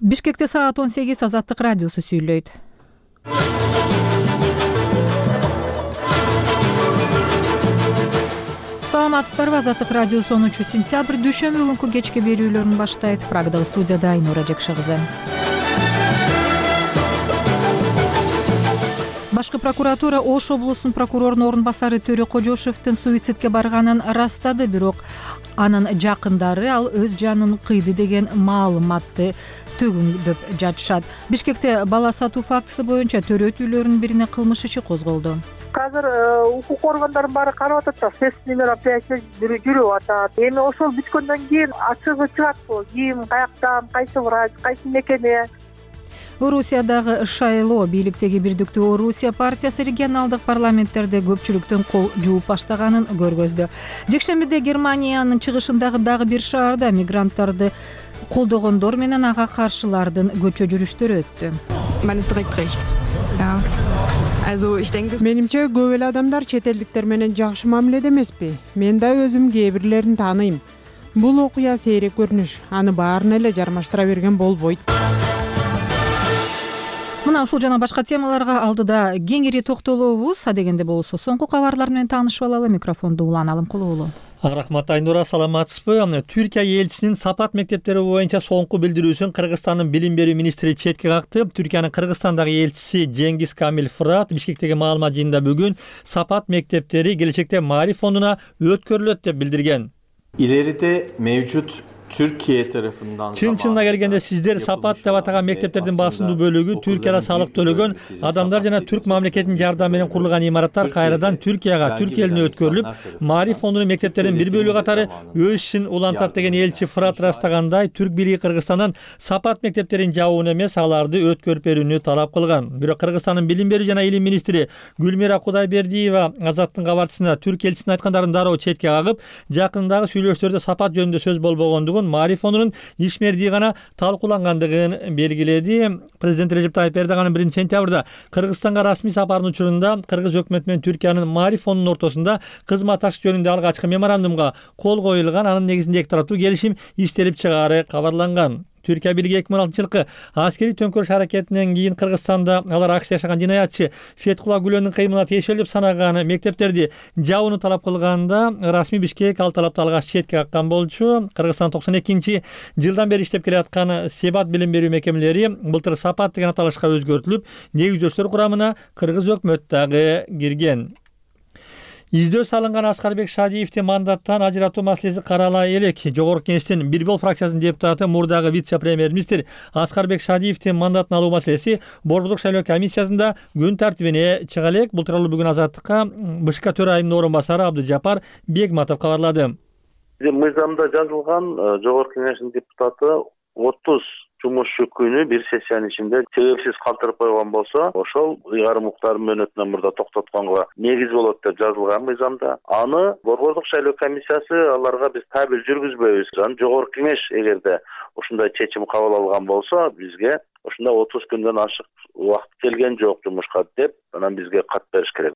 Бишкекте саат 18 Азаттык радиосу сүйлөйт. Саламатсыздарбы? Азаттык радиосу 10 сентябрь дүйшөмбү күнкү кечки берүүлөрүн баштайт. Прагадагы студияда Айнура Жекши кызы. Башкы прокуратура Ош облусунун прокурорунун орун басары Төрө Кожошевдин суицидке барганын ырастады, бирок анын жакындары ал өз жанын кыйды деген маалыматты төгүндөп жатышат. Бишкекте бала сатуу фактысы боюнча төрөт үйлөрүнүн бирине кылмыш иши козголду. Азыр укук органдарын баары карап атат да, следственный мероприятие жүрүп атат. Эми ошол бүткөндөн кийин ачыгы чыгат бул. Ким, каяктан, кайсы врач, кайсы мекеме. Орусиядагы Шайло бийликтеги Бирдиктүү Орусия партиясы регионалдык парламенттерде көпчүлүктүн кол жууп баштаганын көргөздү. Жекшембиде Германиянын чыгышындагы дагы бир шаарда мигранттарды колдогондор менен ага каршылардын көчө жүрүштөрү өттү. Менимче көп эле адамдар чет элдиктер менен жакшы мамиледе эмеспи. Мен да өзүм кээ бирлерин тааныйм. Бул окуя сейрек көрүнүш, аны баарын эле жармаштыра берген болбойт. Мына ушул жана башка темаларга алдыда кеңири токтолобуз. Адегенде болсо соңку кабарлар менен таанышып алалы. Микрофонду Улан Алымкулуулу. Рахмат Айнура, саламатсызбы? Түркия элчисинин Сапат мектептери боюнча соңку билдирүүсүн Кыргызстандын билим берүү министри четке какты. Түркиянын Кыргызстандагы элчиси Жеңгиз Камил Фырат Бишкектеги маалымат жыйынында бүгүн Сапат мектептери келечекте Мари фондуна өткөрүлөт деп билдирген. İleride mevcut Türkiye tarafından Чын-чынына келгенде сиздер Сапат деп атаган мектептердин басымдуу бөлүгү Түркияда салык төлөгөн адамдар жана Түрк мамлекетинин жардамы менен курулган имараттар кайрадан Түркия элине өткөрүлүп, Мари фондунун мектептеринин бир бөлүгү катары өз ишин улантат деген элчи Фырат ырастагандай, Түрк бийлиги Кыргызстандан Сапат мектептерин жабууну эмес, аларды өткөрүп берүүнү талап кылган. Бирок Кыргызстандын билим берүү жана илим министри Гүлмира Кудайбердиева Азаттын кабарчысына Түрк элчисинин айткандарын дароо четке кагып, жакындагы сүйлөшүүлөрдө Сапат жөнүндө сөз болбогондугун, Мари фондунун ишмердиги гана талкуулангандыгын белгиледи. Президент Режеп Тайып Эрдоганын 1-сентябрда Кыргызстанга расмий сапарынын учурунда Кыргыз өкмөтү менен Түркиянын Мари фондунун ортосунда кызматташык жөнүндө алгачкы меморандумга кол коюлган, анын негизинде эки тараптуу келишим иштелип чыгаары кабарланган. Түркия бийлиги 2006-жылкы аскерий төңкөрүш аракетинен кийин Кыргызстанда алар АКШда жашаган жинаятчы Фетхула Гүлөнүн кыймылына тиешелүү деп санаган мектептерди жабууну талап кылганда, расмий Бишкек ал талапты алгач четке каккан болчу. Кыргызстан 92-жылдан бери иштеп келаткан Себат билим берүү мекемелери былтыр Сапат деген аталышка өзгөртүлүп, негиздөөчүлөр курамына Кыргыз өкмөтү дагы кирген. Издөө салынган Аскарбек Шадиевдин мандаттан ажыратуу маселеси карала элек. Жогорку Кеңештин Бирбол фракциясынын депутаты, мурдагы вице-премьер-министр Аскарбек Шадиевдин мандатын алуу маселеси Борбордук шайлоо комиссиясында күн тартибине чыга элек. Бул тууралуу бүгүн Азаттыкка БШК төрайымынын орун басары Абдыжапар Бегматов кабарлады. Мыйзамда жазылган Жогорку Кеңештин депутаты 30 жумушчу күнү бир сессиянын ичинде себепсиз калтырып койгон болсо, ошол ыйгарым укуктардын мөөнөтүнөн мурда токтотконго негиз болот деп жазылган мыйзамда. Аны Борбордук шайлоо комиссиясы аларга биз табель жүргүзбөйбүз. Жогорку Кеңеш эгерде ушундай чечим кабыл алган болсо, бизге ушундай 30 күндөн ашык убакыт келген жок жумушка деп, анан бизге кат бериш керек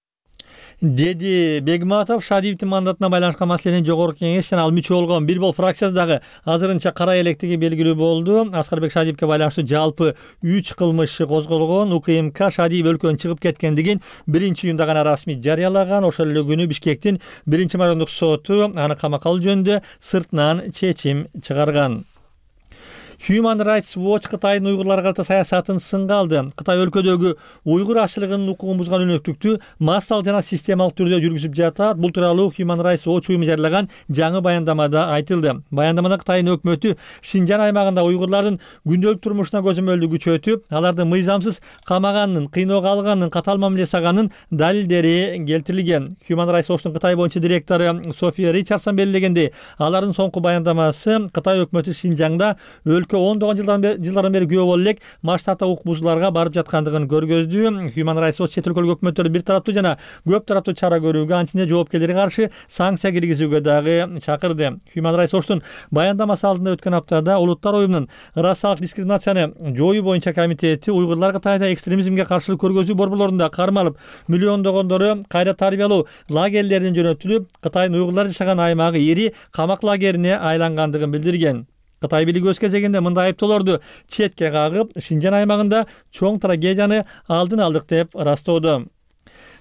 деди Бегматов. Шадиевдин мандатына байланышкан маселени Жогорку Кеңеш жана ал мүчө болгон Бирбол фракциясы дагы азырынча карай электиги белгилүү болду. Аскарбек Шадиевге байланыштуу жалпы 3 кылмыш козголгон. УКМК Шадиев өлкөдөн чыгып кеткендигин 1-июнда гана расмий жарыялаган. Ошол эле күнү Бишкектин 1-марандык соту аны камакка алуу жөнүндө сыртынан чечим чыгарган. Human Rights Watch Кытайдын уйгурларга карата саясатын сынга алды. Кытай өлкөдөгү уйгур ашчылыгынын укугун бузган өнөктүктү массалык жана системалык түрдө жүргүзүп жатат. Бул тууралуу Human Rights Watch уюму жарыялаган жаңы баяндамада айтылды. Баяндамада Кытайдын өкмөтү Шинжан аймагында уйгурлардын күндөлүк турмушуна көзөмөлдү күчөтүп, аларды мыйзамсыз камаганын, кыйноого алганын, катаал мамиле жасаганын далилдери келтирилген. Human Rights Watchtун Кытай боюнча директору София Ричардсон белгилегендей, алардын соңку баяндамасы Кытай өкмөтү Шинжаңда өлкө ондогон жылдардан бери күбө болуп элек масштабта укук бузууларга барып жаткандыгын көргөздү. Human Rights Watch чет өлкөлүк өкмөттөрдү бир тараптуу жана көп тараптуу чара көрүүгө, анчине жоопкерлерге каршы санкция киргизүүгө дагы чакырды. Human Rights Watchtун баяндамасы алдында өткөн аптада Улуттар уюмунун расалык дискриминацияны жоюу боюнча комитети уйгурлар Кытайда экстремизмге каршылык көргөзүү борборлорунда кармалып, миллиондогондору кайра тарбиялоо лагерлерине жөнөтүлүп, Кытайдын уйгурлар жашаган аймагы ири камак лагерине айлангандыгын билдирген. Кытай бийлиги өз кезегинде мындай айыптоолорду четке кагып, Шинжан аймагында чоң трагедияны алдын алдык деп ырастоодо.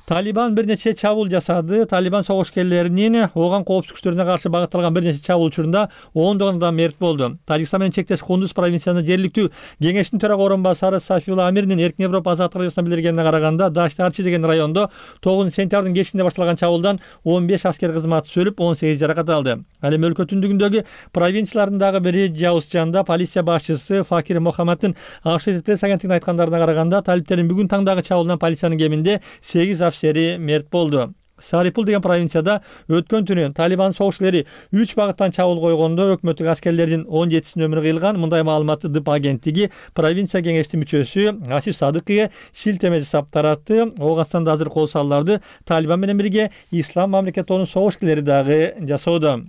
Талибан бир нече чабуул жасады. Талибан согушкерлеринин ооган коопсуздук күчтөрүнө каршы багытталган бир нече чабуул учурунда 10 адам мерт болду. Тажикстан менен чектеш Кундуз провинциясынын жергиликтүү кеңештин төрага орун басары Сафиулла Амирдин Эркин Европа азаттык радиосуна билдиргенине караганда, Даштарчы деген райондо 9-сентябрдын кечинде башталган чабуулдан 15 аскер кызматчысы өлүп, 18 жаракат алды. Ал эми өлкө түндүгүндөгү провинциялардын дагы бири Жаузжанда полиция башчысы Факир Мохаммаддин Associated Press агенттигине айткандарына караганда, талиптердин бүгүн таңдагы чабуулдан полициянын кеминде 8 афисери мерт болду. Сарипул деген провинцияда өткөн түнү Талибан согушчулары 3 багыттан чабуул койгондо өкмөттүк аскерлердин 17-синин өмүрү кыйылган. Мындай маалыматты ДИП агенттиги провинция кеңештин мүчөсү Асиф Садыкыга шилтеме жасап таратты. Ооганстанда азыр кол салууларды Талибан менен бирге Ислам мамлекетинин согушчулары дагы жасоодо.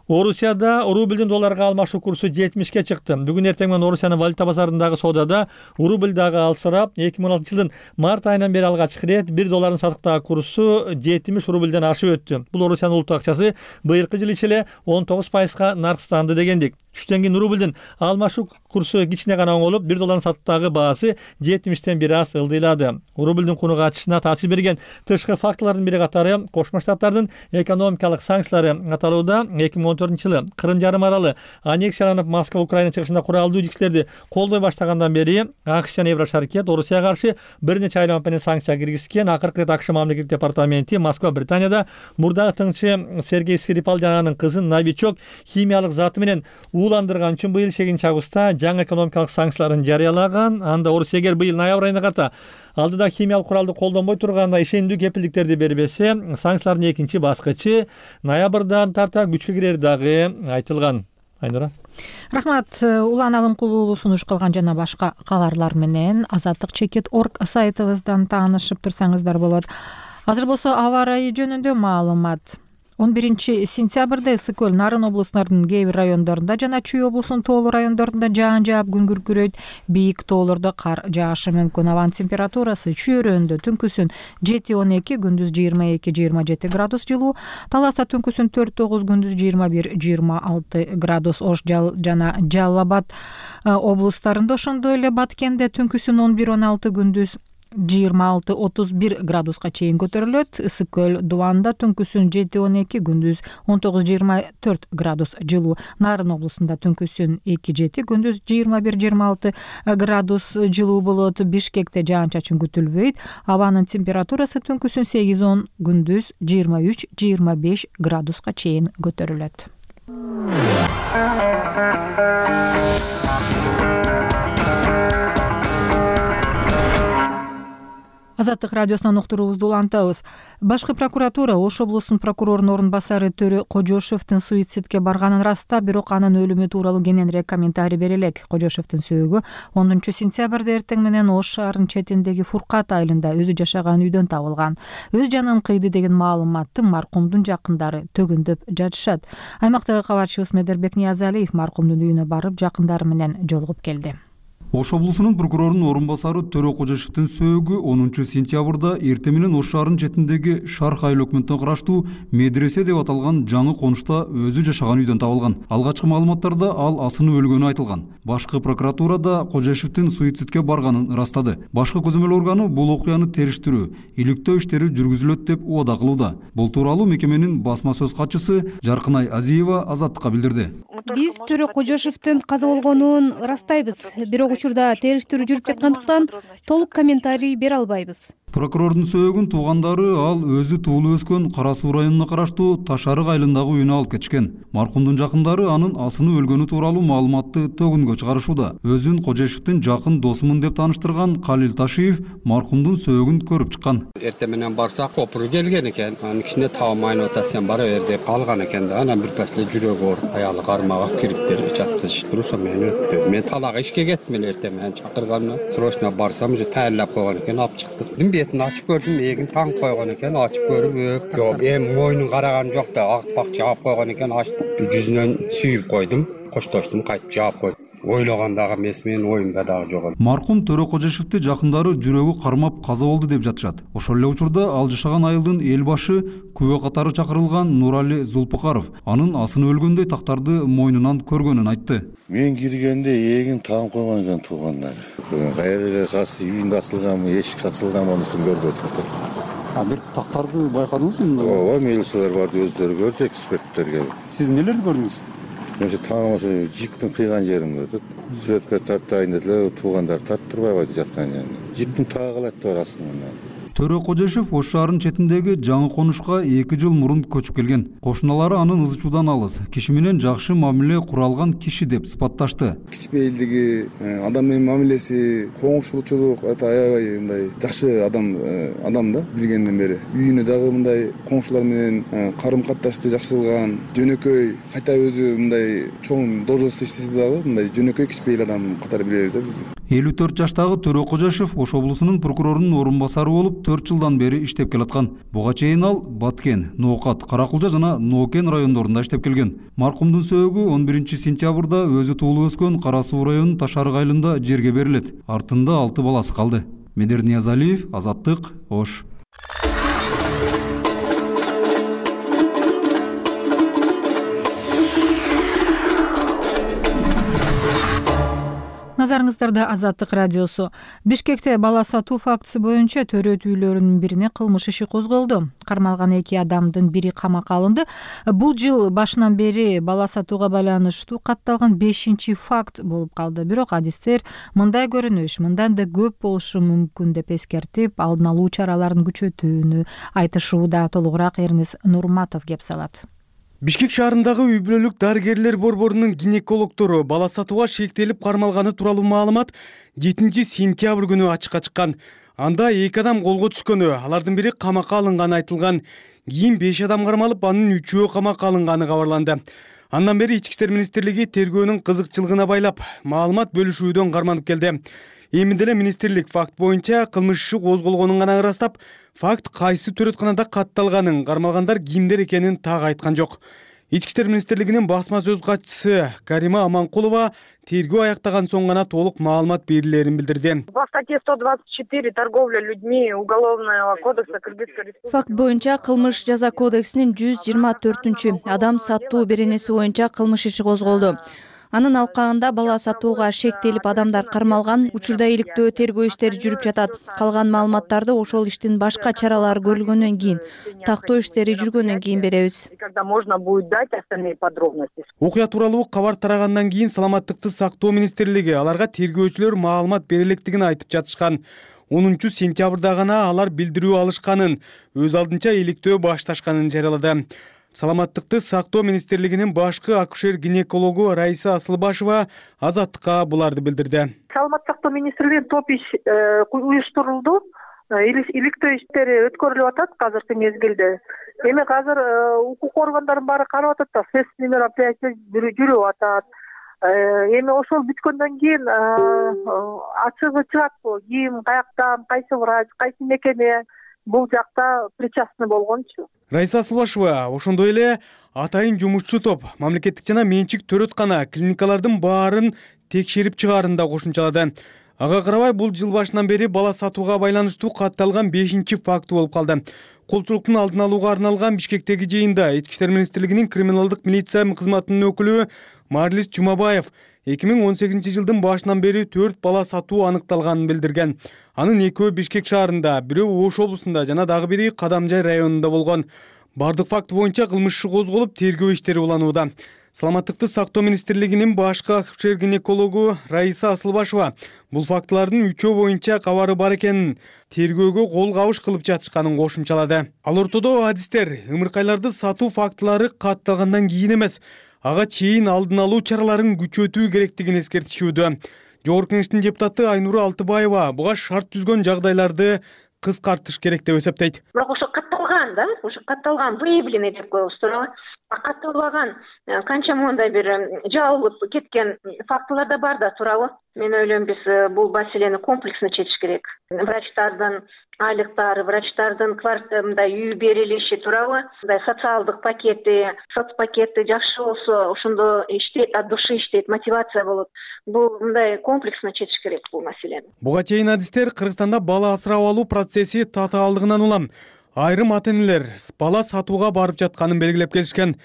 Орусияда рубльдин долларга алмашуу курсу 70ке чыкты. Бүгүн эртең менен Орусиянын валюта базарындагы соодада рубль дагы алсырап, 2016-жылдын март айынан бери алгачкы ирет 1 доллардын сатыктагы курсу 70 рубльден ашып өттү. Бул Орусиянын улуттук акчасы быйылкы жыл ичинде 19% наркстанды дегендик. Түштөн кийин рубльдин алмашуу курсу кичине гана оңолуп, 1 доллардын сатыктагы баасы 70тен бир аз ылдыйлады. Рубльдин кунуга ачышына таасир берген тышкы факторлордун бири катары Кошмо Штаттардын экономикалык санкциялары аталууда. 2014-жылы Кырым жарым аралы аннексияланып, Москва Украина чыгышында куралдуу жүктөрдү колдой баштагандан бери АКШ жана Еврошаркет Орусияга каршы бир нече айлама менен санкция киргизген. Акыркы ирет АКШ мамлекеттик департаменти Москва Британияда мурдагы тыңчы Сергей Скрипал жана анын кызын новичок химиялык заты менен ууландырган үчүн быйыл 8-августта жаңы экономикалык санкцияларын жарыялаган. Анда Орусия эгер быйыл ноябрь айына карата алдыда химиялык куралды колдонбой турганда ишендүү кепилдиктерди бербесе, санкциялардын экинчи баскычы ноябрдан тарта күчкө кирери дагы айтылган. Айнура. Рахмат. Улан Алымкулуу сунуш кылган жана башка кабарлар менен azatdikcheket.org сайтыбыздан таанышып турсаңыздар болот. Азыр болсо аба ырайы жөнүндө маалымат. 11-сентябрда Ысык көл, Нарын облустарынын кээ бир райондорунда жана Чүй облусунун тоолуу райондорунда жаан жаап күн күркүрөйт. Бийик тоолордо кар жаашы мүмкүн. Абанын температурасы Чүй өрөөндө түнкүсүн 7-12, күндүз 22-27 градус жылуу. Таласта түнкүсүн 4-9, күндүз 21-26 градус. Ош жана Жалал Абад облустарында, ошондой эле Баткенде түнкүсүн 11-16, күндүз 26-31 градуска чейин көтөрүлөт. Ысык көл, Дубанда түнкүсүн 7-12, күндүз 19-24 градус жылуу. Нарын облусунда түнкүсүн 2-7, күндүз 21-26 градус жылуу болот. Бишкекте жаан-чачын күтүлбөйт. Абанын температурасы түнкүсүн 8-10, күндүз 23-25 градуска чейин көтөрүлөт. Азаттык радиосунан уктуруубузду улантабыз. Башкы прокуратура Ош облусунун прокурорунун орун басары Төрө Кожошевдин суицидке барганын ырастап, бирок анын өлүмү тууралуу кененирээк комментарий берелек. Кожошевдин сөөгү 10-сентябрда эртең менен Ош шаарынын четиндеги Фуркат айылында өзү жашаган үйдөн табылган. Өз жанын кыйды деген маалыматты маркумдун жакындары төгүндөп жатышат. Аймактагы кабарчыбыз Медербек Ниязалиев маркумдун үйүнө барып, жакындары менен жолугуп келди. Ош облусунун прокурорунун орун басары Төрө Кожошевдин сөөгү 10-сентябрда эртең менен Ош шаарынын четиндеги Шарх айыл өкмөтүнө караштуу медресе деп аталган жаңы конушта өзү жашаган үйдөн табылган. Алгачкы маалыматтарда ал асынып өлгөнү айтылган. Башкы прокуратурада Кожошевдин суицидке барганын ырастады. Башкы көзөмөл органы бул окуяны териштирүү, иликтөө иштери жүргүзүлөт деп убада кылууда. Бул тууралуу мекеменин басма сөз катчысы Жаркынай Азиева Азаттыкка билдирди. Биз Төрө Кожошевдин каза болгонун ырастайбыз, бирок учурда териштирүү жүрүп жаткандыктан толук комментарий бере албайбыз. Прокурордун сөөгүн туугандары ал өзү туулуп өскөн Кара Суу районуна караштуу Ташарык айылындагы үйүнө алып кетишкен. Маркумдун жакындары анын асынып өлгөнү тууралуу маалыматты төгүнгө чыгарышууда. Өзүн Кожошевдин жакын досумун деп тааныштырган Калил Ташиев маркумдун сөөгүн көрүп чыккан. Эртең менен барсак, копуру келген экен. Анын кичине табылмайын ата, сен бара бер деп калган экен да. Анан бир пасле жүрөгү ооруп, аялы кармагап кириптер жаткызышып туруп, ошо мени өттү. Мен талага ишке кеттим эле эртең менен чакырганына. Срочно барсам, уже таярлап койгон экен, алып чыктык. Бетин ачып көрдүм, эгин таңып койгон экен, ачып көрүп, жооп, эми мойнун караган жок да, ак пак жаап койгон экен, ачтым. Жүзүнөн сүйүп койдум, коштоштум, кайтып жаап койдум. ойлогондагы эмес, менин оюмда дагы жок. Маркум Төрөкожошевди жакындары жүрөгү кармап каза болду деп жатышат. Ошол эле учурда ал жашаган айылдын эл башы күбө катары чакырылган Нурали Зулпукаров анын асыны өлгөндөй тактарды мойнунан көргөнүн айтты. Мен киргенде эгин таам койгон экен туугандар. Кайерге үйүнгө асылганбы, эшикке асылганбы анусын көрбөдүк. Бир тактарды байкадыңызбы? Ооба, милициялар барды, өздөрү көрдү, эксперттер келип. Сиз нелерди көрдүңүз? Мен таам жиптин кыйган жерин көрдүк. Сүрөткө тартайын деле, туугандар тарттырбай койду жаткан жерин. Жиптин таагылаты бар астында. Төрөкожошев Ош шаарынын четиндеги жаңы конушка 2 жыл мурун көчүп келген. Кошуналары анын ызы чуудан алыс, киши менен жакшы мамиле куралган киши деп сыпатташты. Кичпейилдиги, адам менен мамилеси, коңшулчулук аябай мындай жакшы адам да билгенден бери. Үйүнө дагы мындай коңшулар менен карым катташты жакшы кылган, жөнөкөй, кайта өзү мындай чоң должность иштесе дагы мындай жөнөкөй кичпейил адам катары билебиз да биз. 54 жаштагы Төрөкожошев Ош облусунун прокурорунун орун басары болуп 4 жылдан бери иштеп келаткан. Буга чейин ал Баткен, Ноокат, Каракулжа жана Ноокен райондорунда иштеп келген. Маркумдун сөөгү 11 сентябрда өзү туулуп өскөн Кара Суу районунун Ташарык айылында жерге берилет. Артында 6 баласы калды. Медер Ниязалиев, Азаттык, Ош. Назарыңыздарда Азаттык радиосу. Бишкекте бала сатуу фактысы боюнча төрөт үйлөрүнүн бирине кылмыш иши козголду. Кармалган 2 адамдын бири камакка алынды. Бул жыл башынан бери бала сатууга байланыштуу катталган 5-чи факт болуп калды. Бирок адистер мындай көрүнүш мындан да көп болушу мүмкүн деп эскертип, алдын алуу чараларын күчөтүүнү айтышууда. Толугураак Эрнис Нурматов кеп салат. Бишкек шаарындагы үй бүлөлүк дарыгерлер борборунун гинекологдору бала сатууга шектелип кармалганы тууралуу маалымат 7 сентябрь күнү ачыкка чыккан. Анда 2 адам колго түшкөнү, алардын бири камакка алынганы айтылган. Кийин 5 адам кармалып, анын 3-өө камакка алынганы кабарланды. Андан бери Ички иштер министрлиги тергөөнүн кызыкчылыгына байлап, маалымат бөлүшүүдөн карманып келди. Эми деле министрлик факт боюнча кылмыш иши козголгонун гана ырастап, факт кайсы төрөтканада катталганын, кармалгандар кимдер экенин так айткан жок. Ички иштер министрлигинин басма сөз катчысы Карима Аманкулова тергөө аяктаган соң гана толук маалымат берилерин билдирди. По статье 124 торговля людьми Уголовного кодекса Кыргызской Республики. Факт боюнча кылмыш жаза кодексинин 124 адам сатуу беренеси боюнча кылмыш иши козголду. Анын алкагында бала сатууга шектелип адамдар кармалган, учурда иликтөө тергөө иштери жүрүп жатат. Калган маалыматтарды ошол иштин башка чаралары көрүлгөндөн кийин, тактоо иштери жүргөндөн кийин беребиз. Когда можно будет дать остальные подробности. Окуя тууралуу кабар тарагандан кийин Саламаттыкты сактоо министрлиги аларга тергөөчүлөр маалымат бере электигин айтып жатышкан. 10 сентябрда гана алар билдирүү алышканын, өз алдынча иликтөө башташканын жарыялады. Саламаттыкты сактоо министрлигинин башкы акушер-гинекологу Раиса Асылбашева Азаттыкка буларды билдирди. Саламаттык сактоо министрлигинин топ иш уюштурулду. Иликтөө иштери өткөрүлүп атат азыркы мезгилде. Эми азыр укук органдарын баары карап атат да, следственный мероприятие жүрүп атат. Эми ошол бүткөндөн кийин ачыгы чыгатпы, ким, каяктан, кайсы врач, кайсы мекеме бул жакта причастный болгончу. Раиса Асылбашева ошондой эле атайын жумушчу топ мамлекеттик жана менчик төрөткана клиникалардын баарын текшерип чыгаарын да кошумчалады. Ага карабай бул жыл башынан бери бала сатууга байланыштуу катталган 5-чи факт болуп калды. Колчулуктун алдын алууга арналган Бишкектеги жыйында Ички иштер министрлигинин криминалдык милиция кызматынын өкүлү Марлис Жумабаев 2018 жылдын башынан бери 4 бала сатуу аныкталганын билдирген. Анын 2-өө Бишкек шаарында, бирөө Ош облусунда жана дагы бири Кадамжай районунда болгон. Бардык факт боюнча кылмыш иши козголуп, тергөө иштери уланууда. Саламаттыкты сактоо министрлигинин башкы акушер-гинекологу Раиса Асылбашева бул фактылардын 3-өө боюнча кабары бар экенин, тергөөгө кол кабыш кылып жатышканын кошумчалады. Ал ортодо адистер ымыркайларды сатуу фактылары катталгандан кийин эмес, ага чейин алдын алуу чараларын күчөтүү керектигин эскертишүүдө. Жогорку Кеңештин депутаты Айнура Алтыбаева буга шарт түзгөн жагдайларды кыскартыш керек деп эсептейт. Бирок ошо катталган катталган да, уже катталган, выявленный деп коебуз туурабы. Катталбаган канча мондай бир жабылып кеткен фактылар да бар да, туурабы. Мен ойлойм, биз бул маселени комплексно чечиш керек. Врачтардын айлыктары, врачтардын мындай үй берилиши, туурабы, мындай социалдык пакети, соцпакети жакшы болсо, ошондо иштейт, от души иштейт, мотивация болот. Бул мындай комплексно чечиш керек бул маселени. Буга чейин адистер Кыргызстанда бала асырап алуу процесси татаалдыгынан улам айрым ата-энелер бала сатууга барып жатканын белгилеп келишкен.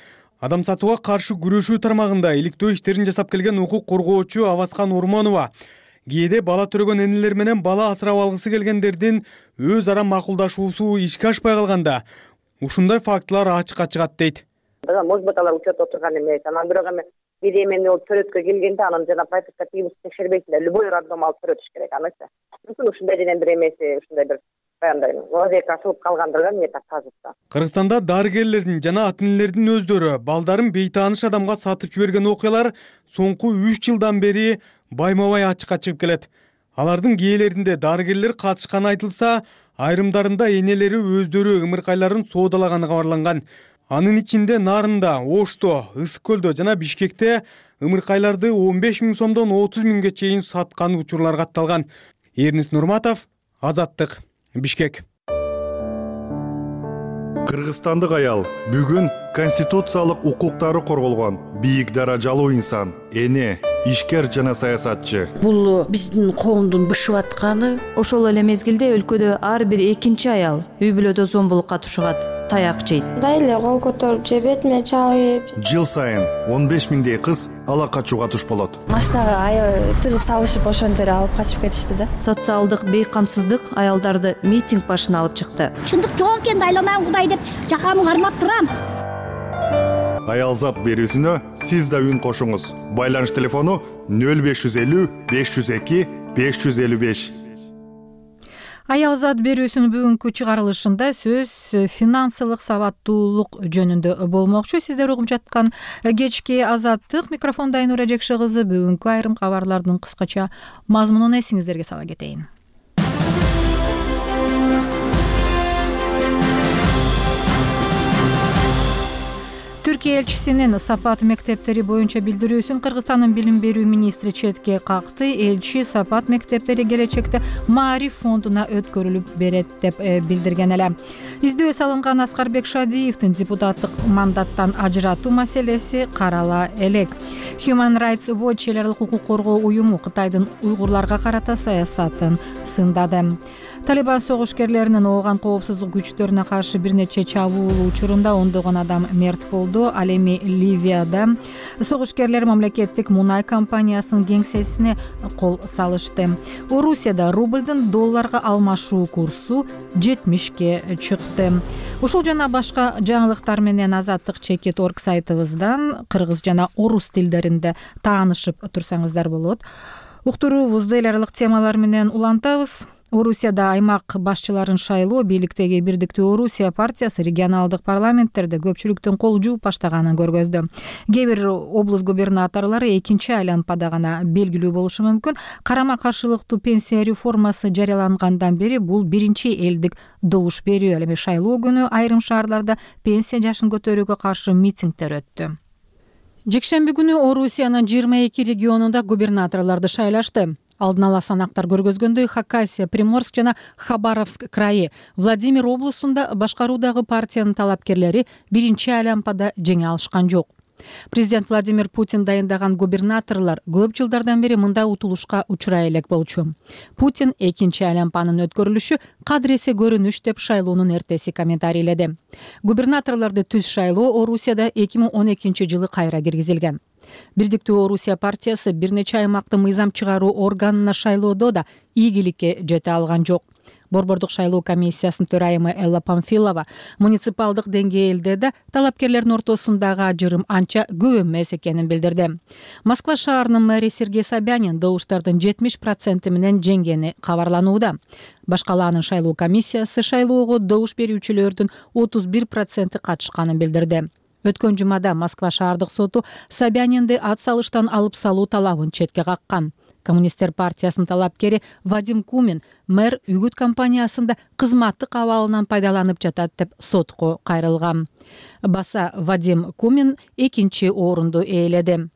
Адам сатууга каршы күрөшүү тармагында иликтөө иштерин жасап келген укук коргоочу Аваскан Урмонова кээде бала төрөгөн энелер менен бала асырап алгысы келгендердин өз ара макулдашуусу ишке ашпай калганда ушундай фактылар ачыкка чыгат дейт. Может быть, алар учетто турган эмес. Анан бирок эми беременный болуп төрөткө келгенде анан жана прописка тийгиз текшербейсиң, любой роддом алып төрөтүш керек анысы. Мүмкүн ушундай денен бир эмеси, ушундай бир лазейка асылып калгандыр да, эмне так казып. Кыргызстанда дарыгерлердин жана ата-энелердин өздөрү балдарын бейтааныш адамга сатып жиберген окуялар соңку 3 жылдан бери байма-бай ачыкка чыгып келет. Алардын кээелеринде дарыгерлер катышканы айтылса, айрымдарында энелери өздөрү ымыркайларын соодалаганы кабарланган. Анын ичинде Нарында, Ошто, Ысык көлдө жана Бишкекте ымыркайларды 15 000 сомдон 30 000ге чейин саткан учурлар катталган. Эрнис Нурматов, Азаттык, Бишкек. Кыргызстандык аял бүгүн конституциялык укуктары корголгон бийик даражалуу инсан, эне, ишкер жана саясатчы. Бул биздин коомдун бышып атканы. Ошол эле мезгилде өлкөдө ар бир экинчи аял үй бүлөдө зомбулукка тушугат, таяк жейт. Мындай эле кол көтөрүп же бетиме чабып. Жыл сайын 15 000дей кыз ала качууга туш болот. Машинага аябай тыгып салышып ошондо эле алып качып кетишти да. Социалдык бейкамсыздык аялдарды митинг башына алып чыкты. Чындык жок экен, айланам Кудай деп жакамы кармап турам. Аялзат берүүсүнө сиз да үн кошуңуз. Байланыш телефону 0550 502 555. Аялзат берүүсүнүн бүгүнкү чыгарылышында сөз финансылык сабаттуулук жөнүндө болмокчу. Сиздер угуп жаткан кечки Азаттык, микрофонда Айнура Жекши кызы. Бүгүнкү айрым кабарлардын кыскача мазмунун эсиңиздерге сала кетейин. Түркия элчисинин Сапат мектептери боюнча билдирүүсүн Кыргызстандын билим берүү министри четке какты. Элчи Сапат мектептери келечекте Маариф фондуна өткөрүлүп берет деп билдирген эле. Издөө салынган Аскарбек Шадиевдин депутаттык мандаттан ажыратуу маселеси карала элек. Human Rights Watch эл аралык укук коргоо уюму Кытайдын уйгурларга карата саясатын сындады. Талибан согушкерлеринин ооган коопсуздук күчтөрүнө каршы бир нече чабуул учурунда ондогон адам мерт болду. Ал эми Ливияда согушкерлер мамлекеттик мунай компаниясынын кеңсесине кол салышты. Орусияда рублдун долларга алмашуу курсу 70ке чыкты. Ушул жана башка жаңылыктар менен Азаттык Чекит.org сайтыбыздан кыргыз жана орус тилдеринде таанышып турсаңыздар болот. Уктуруубузду эл аралык темалар менен улантабыз. Орусияда аймак башчыларын шайлоо бийликтеги Бирдиктүү Орусия партиясы регионалдык парламенттерде көпчүлүктүн кол жууп баштаганын көргөздү. Кээ бир облус губернаторлору экинчи айлампада гана белгилүү болушу мүмкүн. Карама каршылыктуу пенсия реформасы жарыялангандан бери бул биринчи элдик добуш берүү. Эми шайлоо күнү айрым шаарларда пенсия жашын көтөрүүгө каршы митингдер өттү. Жекшемби күнү Орусиянын 22 регионунда губернаторлорду шайлашты. Алдын ала санактар көргөзгөндөй Хакасия, Приморск жана Хабаровск крайы, Владимир облусунда башкаруудагы партиянын талапкерлери биринчи айлампада жеңе алышкан жок. Президент Владимир Путин дайындаган губернаторлор көп жылдардан бери мындай утулушка учурай элек болчу. Путин экинчи айлампанын өткөрүлүшү кадыресе көрүнүш деп шайлоонун эртеси комментарийледи. Губернаторлорду түз шайлоо Орусияда 2012 жылы кайра киргизилген. Бирдиктүү Орусия партиясы бир нече аймактын мыйзам чыгаруу органына шайлоодо да ийгиликке жете алган жок. Борбордук шайлоо комиссиясынын төрайымы Элла Памфилова муниципалдык деңгээлде да талапкерлердин ортосундагы ажырым анча көп эмес экенин билдирди. Москва шаарынын мэри Сергей Собянин добуштардын 70% менен жеңгени кабарланууда. Башкалаанын шайлоо комиссиясы шайлоого добуш берүүчүлөрдүн 31% катышканын билдирди. Өткөн жумада Москва шаардык соту Собянинди ат салыштан алып салуу талабын четке каккан. Коммунисттер партиясынын талапкери Вадим Кумин мэр үгүт компаниясында кызматтык абалынан пайдаланып жатат деп сотко кайрылган. Баса Вадим Кумин экинчи орунду ээледи.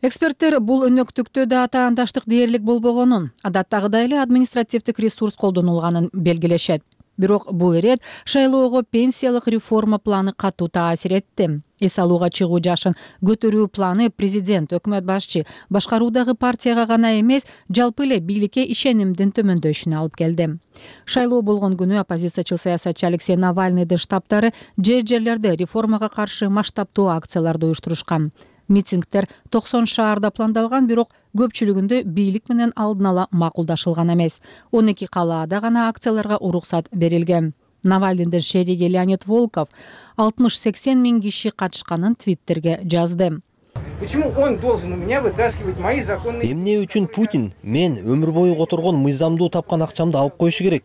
Эксперттер бул өнөктүктө да таандаштык дээрлик болбогонун, адаттагыдай эле административдик ресурс колдонулганын белгилешет. Бирок бул ирет шайлоого пенсиялык реформа планы катуу таасир этти. Эс алууга чыгуу жашын көтөрүү планы президент, өкмөт башчы, башкаруудагы партияга гана эмес, жалпы эле бийликке ишенимдин төмөндөшүнө алып келди. Шайлоо болгон күнү оппозициячыл саясатчы Алексей Навальныйдын штабтары жер-жерлерде реформага каршы масштабтуу акцияларды уюштурушкан. Митингдер 90 шаарда пландалган, бирок көпчүлүгүндө бийлик менен алдын ала макулдашылган эмес. 12 калаада гана акцияларга уруксат берилген. Навальныйдын шериги Леонид Волков 60-80 миң киши катышканын Твиттерге жазды. Эмне үчүн Путин мен өмүр бою которгон мыйзамдуу тапкан акчамды алып коюшу керек?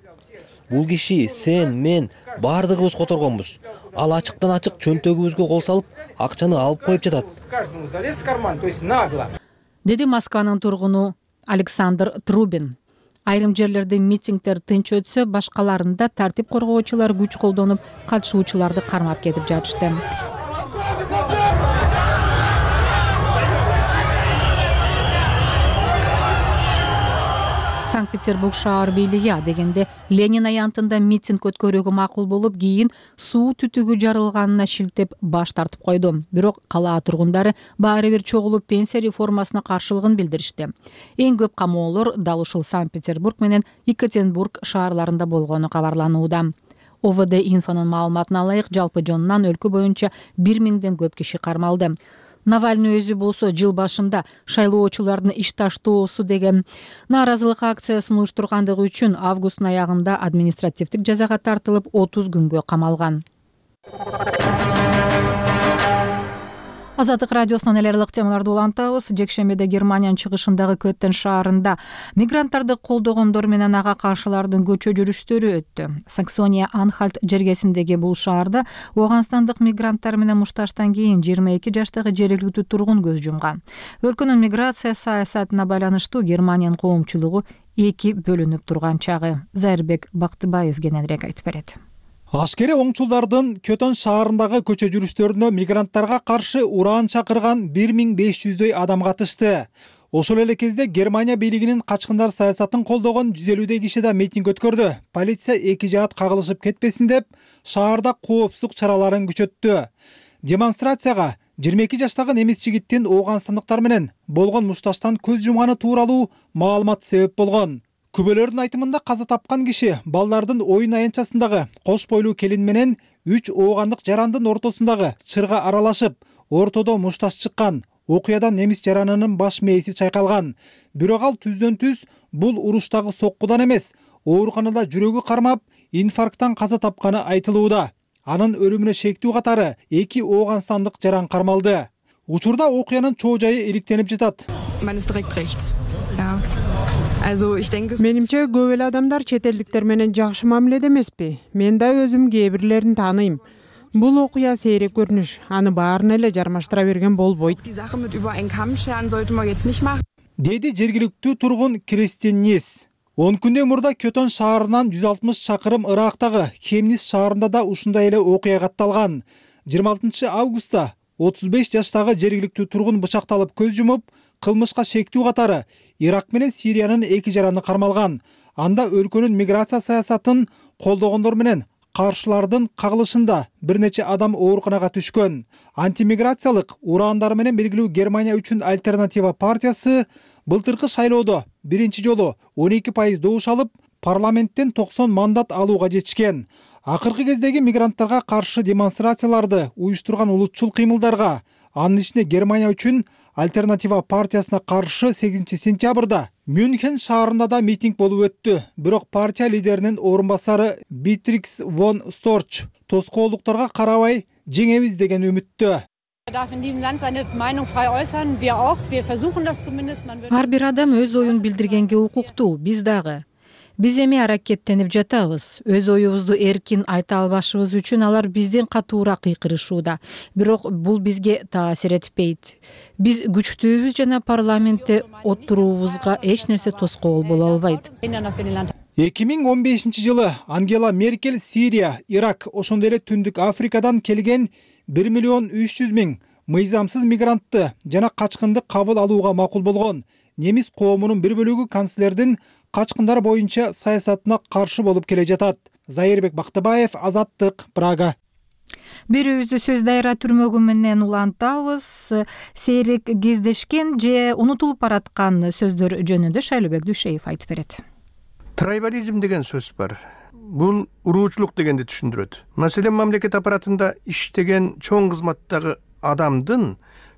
Бул киши, сен, мен баардыгыбыз которгонбуз. Ал ачыктан ачык чөнтөгүбүзгө кол салып, акчаны алып коюп жатат. Деди Москванын тургуну Александр Трубин. Айрым жерлерде митингдер тынч өтсө, башкаларында тартип коргоочулар күч колдонуп, катышуучуларды кармап кетип жатышты. Санкт-Петербург шаар бийлиги дегенде Ленин аянтында митинг өткөрүүгө макул болуп, кийин суу түтүгү жарылганына шилтеп баш тартып койду. Бирок кала тургундары баары бир чогулуп пенсия реформасына каршылыгын билдиришти. Эң көп камоолор дал ушул Санкт-Петербург менен Екатеринбург шаарларында болгону кабарланууда. ОВД инфонун маалыматына ылайык, жалпы жонунан өлкө боюнча 1000ден көп киши кармалды. Навальный өзү болсо жыл башында шайлоочулардын иш таштоосу деген нааразылык акциясын уюштургандыгы үчүн августтун аягында административдик жазага тартылып 30 күнгө камалган. Азаттык радиосунан эле ылык темаларды улантабыз. Жекшембиде Германиянын чыгышындагы Көттен шаарында мигранттарды колдогондор менен ага каршылардын көчө жүрүштөрү өттү. Саксония-Анхальт жергесиндеги бул шаарда Ооганстандык мигранттар менен мушташтан кийин 22 жаштагы жергиликтүү тургун көз жумган. Өлкөнүн миграция саясатына байланыштуу Германиянын коомчулугу эки бөлүнүп турган чагы. Зайырбек Бактыбаев кененирээк айтып берет. Ашкери оңчулдардын Көтөн шаарындагы көчө жүрүштөрүнө мигранттарга каршы ураан чакырган 1500дөй адам катышты. Ошол эле кезде Германия бийлигинин качкындар саясатын колдогон 150 киши да митинг өткөрдү. Полиция эки жаат кагылышып кетпесин деп, шаарда коопсуздук чараларын күчөттү. Демонстрацияга 22 жаштагы немис жигиттин ооганстандыктар менен болгон мушташтан көз жумганы тууралуу маалымат себеп болгон. Күбөлөрдүн айтымында каза тапкан киши балдардын оюн аянтчасындагы кош бойлуу келин менен 3 оогандык жарандын ортосундагы чырга аралашып, ортодо мушташ чыккан. Окуядан немис жаранынын баш мээси чайкалган. Бирок ал түздөн-түз бул уруштагы соккудан эмес, ооруканада жүрөгү кармап, инфаркттан каза тапканы айтылууда. Анын өлүмүнө шектүү катары 2 ооганстандык жаран кармалды. Учурда окуянын чоо жайы иликтенип жатат. Менимче көп эле адамдар чет элдиктер менен жакшы мамиледе эмеспи. Мен да өзүм кээ бирлерин тааныйм. Бул окуя сейрек көрүнүш, аны баарына эле жармаштыра берген болбойт. Деди жергиликтүү тургун Кристин Нис. 10 күндөн мурда Көтөн шаарынан 160 чакырым ырактагы Хемнис шаарында да ушундай эле окуя катталган. 26 августта 35 жаштагы жергиликтүү тургун бычакталып көз жумуп, кылмышка шектүү катары Ирак менен Сириянын эки жараны кармалган. Анда өлкөнүн миграция саясатын колдогондор менен каршылардын кагылышында бир нече адам ооруканага түшкөн. Антимиграциялык ураандары менен белгилүү Германия үчүн альтернатива партиясы былтыркы шайлоодо биринчи жолу 12% добуш алып, парламенттен 90 мандат алууга жетишкен. Акыркы кездеги мигранттарга каршы демонстрацияларды уюштурган улутчул кыймылдарга, анын ичинде Германия үчүн альтернатива партиясына каршы 8 сентябрда Мюнхен шаарында да митинг болуп өттү. Бирок партия лидеринин орун басары Битрикс фон Сторч тоскоолдуктарга карабай жеңебиз деген үмүттө. Ар бир адам өз оюн билдиргенге укуктуу, биз дагы. Биз эми аракеттенип жатабыз. Өз оюбузду эркин айта албашыбыз үчүн алар бизден катуураак кыйкырышууда. Бирок бул бизге таасир этпейт. Биз күчтүүбүз жана парламентте отуруубузга эч нерсе тоскоол боло албайт. 2015 жылы Ангела Меркель Сирия, Ирак, ошондой эле Түндүк Африкадан келген 1 миллион 300 миң мыйзамсыз мигрантты жана качкынды кабыл алууга макул болгон. Немис коомунун бир бөлүгү канцлердин качкындар боюнча саясатына каршы болуп келе жатат. Зайырбек Бактыбаев, Азаттык, Прага. Бирөөбүздү сөз дайра түрмөгү менен улантабыз. Сейрек кездешкен же унутулуп бараткан сөздөр жөнүндө Шайлообек Дүйшеев айтып берет. Трайбализм деген сөз бар. Бул уруучулук дегенди түшүндүрөт. Маселен, мамлекет аппаратында иштеген чоң кызматтагы адамдын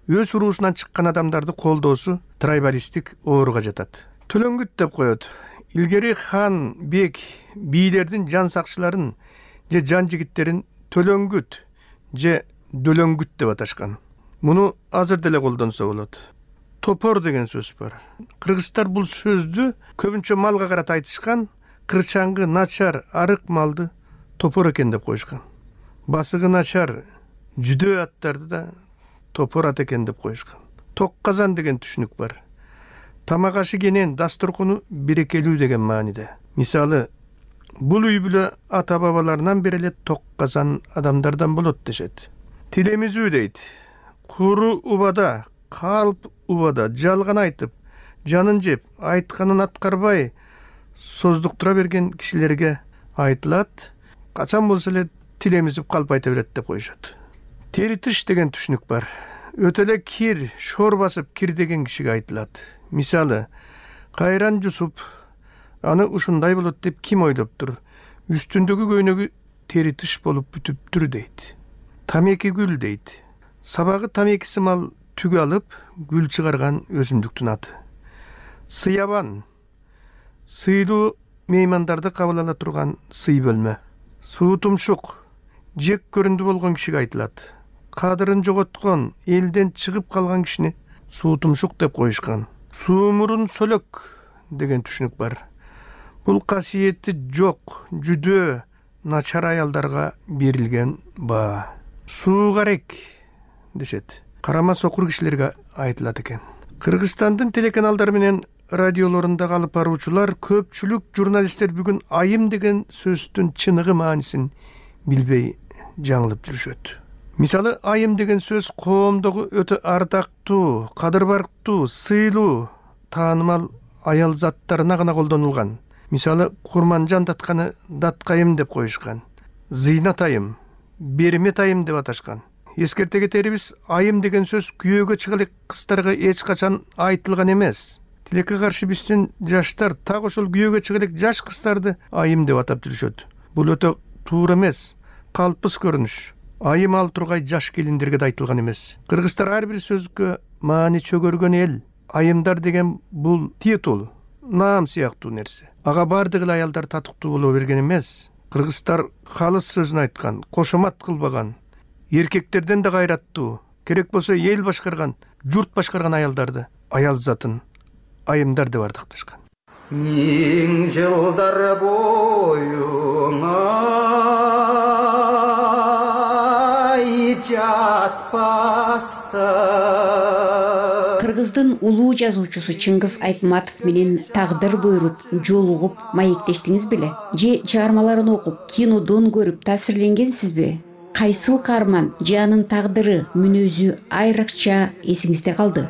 өз уруусунан чыккан адамдарды колдоосу трайбалисттик ооруга жатат. Төлөңгүт деп коет. Илгери хан, бек, бийлердин жан сакчыларын же жан жигиттерин төлөңгүт же дөлөңгүт деп аташкан. Муну азыр деле колдонсо болот. Топор деген сөз бар. Кыргыздар бул сөздү көбүнчө малга карата айтышкан, кырчаңгы, начар, арык малды топор экен деп коюшкан. Басыгы начар жүдөө аттарды да топор ат экен деп коюшкан. Ток казан деген түшүнүк бар. Тамак ашы кенен, дасторкону берекелүү деген мааниде. Мисалы, бул үй бүлө ата бабаларынан бери эле ток казан адамдардан болот дешет. Тилемизүү дейт. Куру убада, калп убада жалган айтып, жанын жеп, айтканын аткарбай создуктура берген кишилерге айтылат. Качан болсо эле тилемизип калп айта берет деп коюшат. Теритиш деген түшүнүк бар. Өтө эле кир, шор басып кир деген кишиге айтылат. Мисалы, кайран жусуп, аны ушундай болот деп ким ойлоптур? Үстүндөгү көйнөгү теритиш болуп бүтүптүр дейт. Тамеки гүл дейт. Сабагы тамекиси мал түгү алып, гүл чыгарган өсүмдүктүн аты. Сыябан, сыйлуу меймандарды кабыл ала турган сый бөлмө. Суу тумшук, жек көрүндү болгон кишиге айтылат. Кадырын жоготкон, элден чыгып калган кишини суу тумшук деп коюшкан. Суумурун сөлөк деген түшүнүк бар. Бул касиети жок, жүдөө, начар аялдарга берилген баа. Суугарек дешет. Карама сокур кишилерге айтылат экен. Кыргызстандын телеканалдары менен радиолорунда алып баруучулар, көпчүлүк журналисттер бүгүн айым деген сөздүн чыныгы маанисин билбей жаңылып жүрүшөт. Мисалы, айым деген сөз коомдогу өтө ардактуу, кадырбарктуу, сыйлуу, таанымал аял заттарына гана колдонулган. Мисалы, Курманжан датканы даткайым деп коюшкан. Зыйнат айым, бермет айым деп аташкан. Эскерте кетерибиз, айым деген сөз күйөөгө чыга элек кыздарга эч качан айтылган эмес. Тилекке каршы биздин жаштар так ошол күйөөгө чыга элек жаш кыздарды айым деп атап жүрүшөт. Бул өтө туура эмес, калпыс көрүнүш. Айым ал тургай жаш келиндерге да айтылган эмес. Кыргыздар ар бир сөзгө маани чөгөргөн эл. Айымдар деген бул титул, наам сыяктуу нерсе. Ага бардык эле аялдар татыктуу боло берген эмес. Кыргыздар калыс сөзүн айткан, кошомат кылбаган, эркектерден да кайраттуу, керек болсо эл башкарган, журт башкарган аялдарды, аял затын айымдар деп ардакташкан. Миң жылдар боюңа жатпаста. Кыргыздын улуу жазуучусу Чыңгыз Айтматов менен тагдыр буйруп, жолугуп, маектештиңиз беле? Же чыгармаларын окуп, кинодон көрүп таасирленгенсизби? Кайсыл каарман же анын тагдыры, мүнөзү айрыкча эсиңизде калды?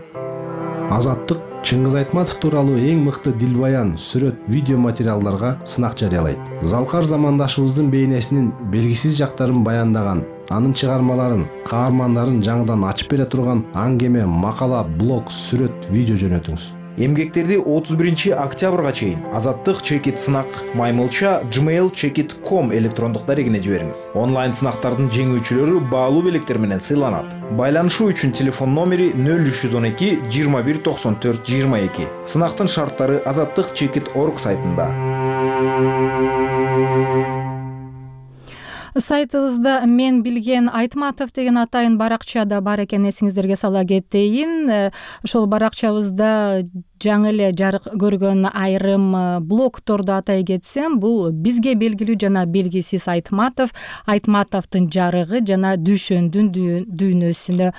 Азаттык Чыңгыз Айтматов тууралуу эң мыкты дилбаян, сүрөт, видео материалдарга сынак жарыялайт. Залкар замандашыбыздын бейнесинин белгисиз жактарын баяндаган, анын чыгармаларын, каармандарын жаңыдан ачып бере турган аңгеме, макала, блог, сүрөт, видео жөнөтүңүз. Эмгектерди 31 октябрга чейин Азаттык чекит сынак маймылча gmail.com электрондук дарегине жибериңиз. Онлайн сынактардын жеңүүчүлөрү баалуу белектер менен сыйланат. Байланышуу үчүн телефон номери 0312 21 94 22. Сынактын шарттары azattikchekit.org сайтында. Сайтыбызда мен билген Айтматов деген атайын баракча да бар экен, эсиңиздерге сала кетейин. Ошол баракчабызда жаңы эле жарык көргөн айрым блогторду атай кетсем, бул бизге белгилүү жана белгисиз Айтматовдун жарыгы жана Дүйшөндүн дүйнөсүнө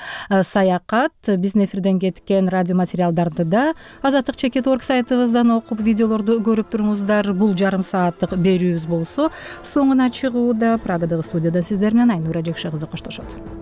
саякат. Биздин эфирден кеткен радио материалдарды да Азаттык.org сайтыбыздан окуп, видеолорду көрүп туруңуздар. Бул жарым сааттык берүүбүз болсо соңуна чыгууда. Прагадагы студияда сиздер менен Айнура Жекше кызы коштошот.